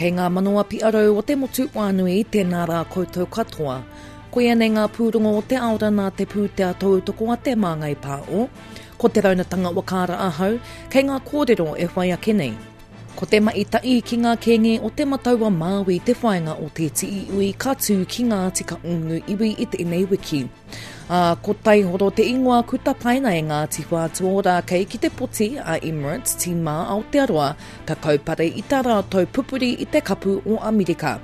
Kei ngā manawa piarau o te motu whānui, tēnā rā koutou katoa. Koia nei ngā pūrongo o te aora nā te pūtea tautoko a Te Māngai Pāo. Ko Te Raunatanga Wakaara ahau, kei ngā kōrero e whai ake nei. Ko te mahi tahi ki ngā kēnge o Te Matau-a-Māui te whāinga o Te Tiiui ka tū ki Ngāti Kahungunu iwi i tēnei wiki. Ā, ko Taihoro te ingoa ku tapaina e Ngāti Whātua Ōrākei ki te poti a Emirates Tīma Aotearoa ka kaupare i tā rātou pupuri i te Kapu o Amerika.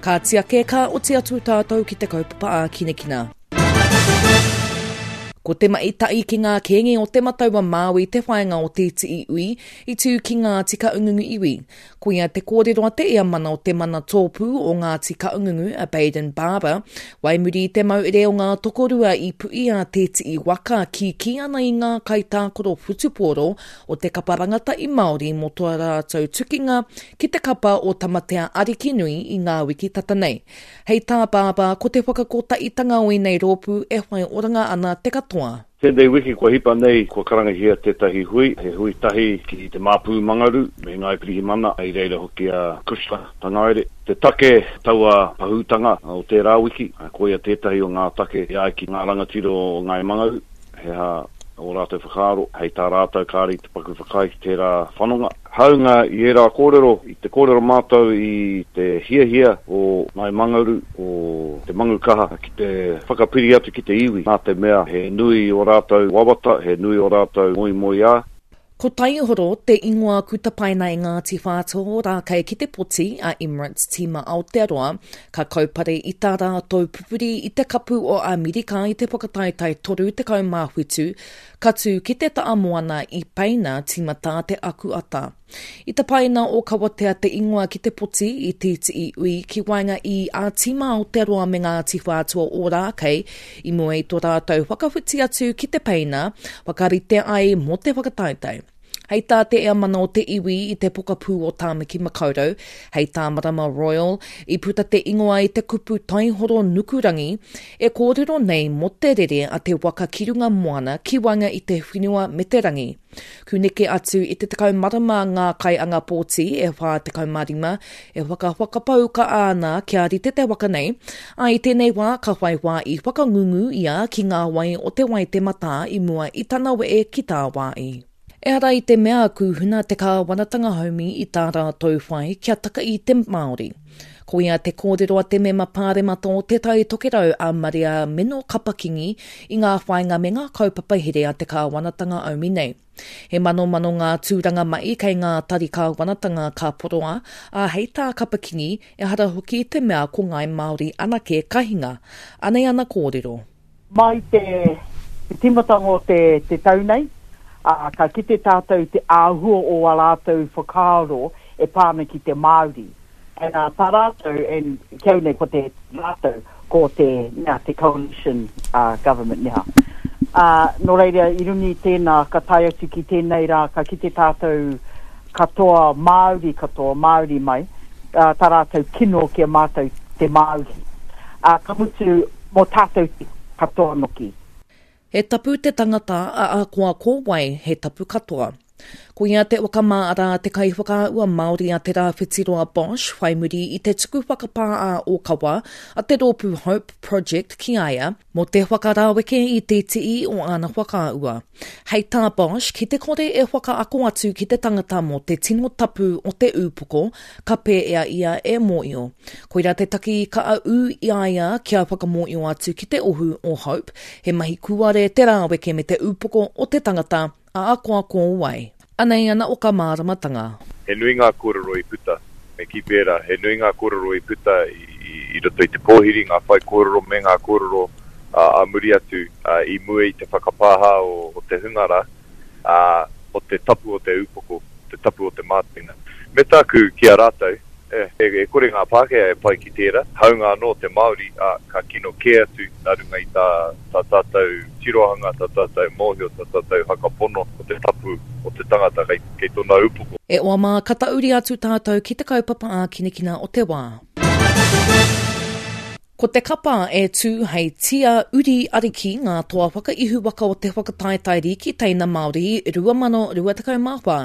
Kāti ake ka oti atu tātou ki te kaupapa ākinakina. Ko te mahi tahi ki ngā kēnge o Te Matau-a-Māui te whāinga o Te Tiiui i tū ki Ngāti Kahungunu iwi. Koia te kōrero a te ea mana o te mana tōpū o Ngāti Kahungunu a Bayden Barber, wai muri i te mauere o ngā tokorua i puʻi a Te Tii waka kīkī ana i ngā kaitākaro whutupōro o te kapa rangatahi Māori mō tō rātou tukinga ki te kapa o Tamatea Arikinui i ngā wiki tata nei. Hei tā Barber, ko te whakakotahitanga o ēnei rōpū e whai oranga ana te katoa. Tēnei wiki kua hipa nei kua karangahia tētahi hui, he hui tahi ki te Māpū Mangaru me Ngāi Pirihimana, i reira hoki a Cushla Tangaere. Te take taua pahūtanga o tērā wiki, koia tētahi o ngā take e ai ki ngā rangatira o Ngāi Mangaru, he aha ō rātou whakaaro, hei tā rātou kāre i te paku whakaae ki tērā whanonga. Hāunga i ērā kōrero, i te kōrero mātou i te hiahia o Ngāi Mangaru, o Te Mangu Kaha ki te whakapiri atu ki te iwi, nā te mea he nui ō rātou wawata, he nui ō rātou moemoeā. Ko Taihoro te ingoa ku tapaina e Ngāti Whātua o Rākei ki te poti a Emirates Tīma Aotearoa, ka kaupare i tā rātou pupuri i te Kapu o Amerika i te whakataetae 37 Ka tū ki te ta'a moana i Peina tīmatā te akuata. I tapaina o Kawatea te ingoa ki te poti i tītii ui ki waenga i a Tīma Aotearoa me Ngāti Whātua Ōrākei i mua i tō rātou whakawhiti atu ki te Peina, whakarite ai mō te whakataetae. Hei tā te ea mana o te iwi i te pokapū o Tāmaki Makaurau, hei tā Marama Royal, i puta te ingoa i te kupu taihoro nukurangi, e kōrero nei mō te rere a te waka ki runga moana ki waenga i te whenua me te rangi. Ku neke atu i te 10 marama ngā kaianga pōti e 45 e whakawhakapau ka ana kia rite te waka nei, ā, i tēnei wā ka whai wā i whakangungu ia ki ngā wai o Te Waitematā i mua i tana wehe ki tāwāhi. Ehara i te mea kūhuna te kāwanatanga haumi i tā rātou whai kia taka i te Māori. Koia te kōrero a te mema pāremata o Te Tai Tokerau a Maria Meno Kapa-Kingi i ngā whāinga me ngā kaupapa here a te kāwanatanga aumi nei. He manomano ngā tūranga mahi kei ngā tari kāwanatanga ka poroa, ā, hei tā Kapa-Kingi, ehara hoki i te mea ko Ngāi Māori anake ka hinga. Anei ana kōrero. Mai te tīmatanga o te tau nei, ā, ka kite tātou i te āhua o ā rātou whakaaro e pā ana ki te Māori. And ā, tā rātou, and ki au nei ko te rātou, ko te, nā, te coalition government neha. Ā, nō reira, i runga i tēnā, ka tae atu ki tēnei rā, ka kite tātou katoa, Māori katoa, Māori mai, ā, tā rātou kino ki a mātou te Māori. Ā, ka mutu, mō tātou te katoa noki. He tapu te tangata, a ahakoa ko wai, he tapu katoa. Ko ia te waka mā arā te kaiwhakaahua Māori a Te Rāwhitiroa Bosch whai muri i te tuku whakapā ā-ōkawa a te rōpū Hope Project ki a ia mō te whakaraweke i te tii o āna whakaahua. Hei tā Bosch, ki te kore e whakaako atu ki te tangata mō te tino tapu o te ūpoko, ka pēea ia e mōio. Koirā te taki ka ū i a ia kia whakamōio atu ki te ohu o Hope, he mahi kūare te rāweke me te ūpoko o te tangata, ahakoa ko wai. Anei ana oka māramatanga. He nui ngā kōrero i puta, me kī pērā, he nui ngā kōrero i puta i roto i te pōhiri, ngā whaikōrero me ngā kōrero ā muri atu i mua i te whakapāha o te hunga rā, ā, o te tapu o te upoko, te tapu o te mātenga. Me tāku ki a rātou, e, e kore ngā Pākehā e pai ki tērā, hāunga anō te Māori, ā, ka kino kē atu nā runga i tā, tā tātou tirohanga, tā tātou mōhio, tā tātou whakapono ko te tapu o te tangata kei, kei tōna upoko. E oa mā, ka tahuri atu tātou ki te kaupapa ākinakina o te wā. Ko te kapa e tū hei tia uri ariki ngā toa whakaihu waka o te whakataetae rīki teina Māori 2024.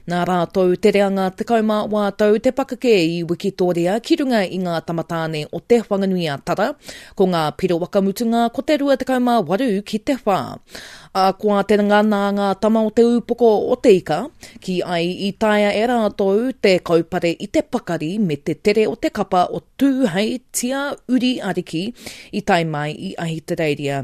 Nā rātou te reanga 18 tau te pakeke i wikitoria ki runga i ngā tamatāne o Te Whanganui-a-Tara, ko ngā piro waka mutunga ko te 28 ki te whā. Akoa te ngana ngā tama o te ūpoko o te ika, kī ai i taea e rātou te kaupare i te pakari me te tere o te kapa o Tū hei tia uri ariki i tae mai i Ahitereiria.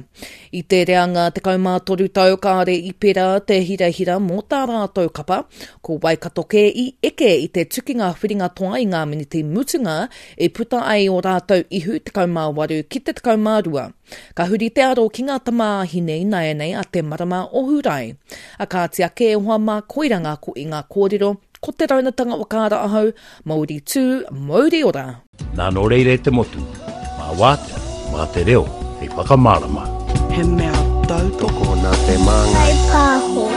I te reanga 13 tau kāore i pērā te hirahira mō tā rātou kapa, ko Waikato kē i eke i te tukinga whiringa toa i ngā miniti mutunga i puta ai ō rātou ihu 18 ki te 12. Ka huri te aro ki ngā tamāhine ināianei a te marama o Hūrae. A kāti ake e hoa mā koira ngā ko i ngā kōrero, ko te raunatanga whakaara ahau, mauri tū, mauri ora! Nā nō reira e te motu, mā wātea, mā te reo hei whakamārama. He mea tautoko nā te māngai. Whai pāho.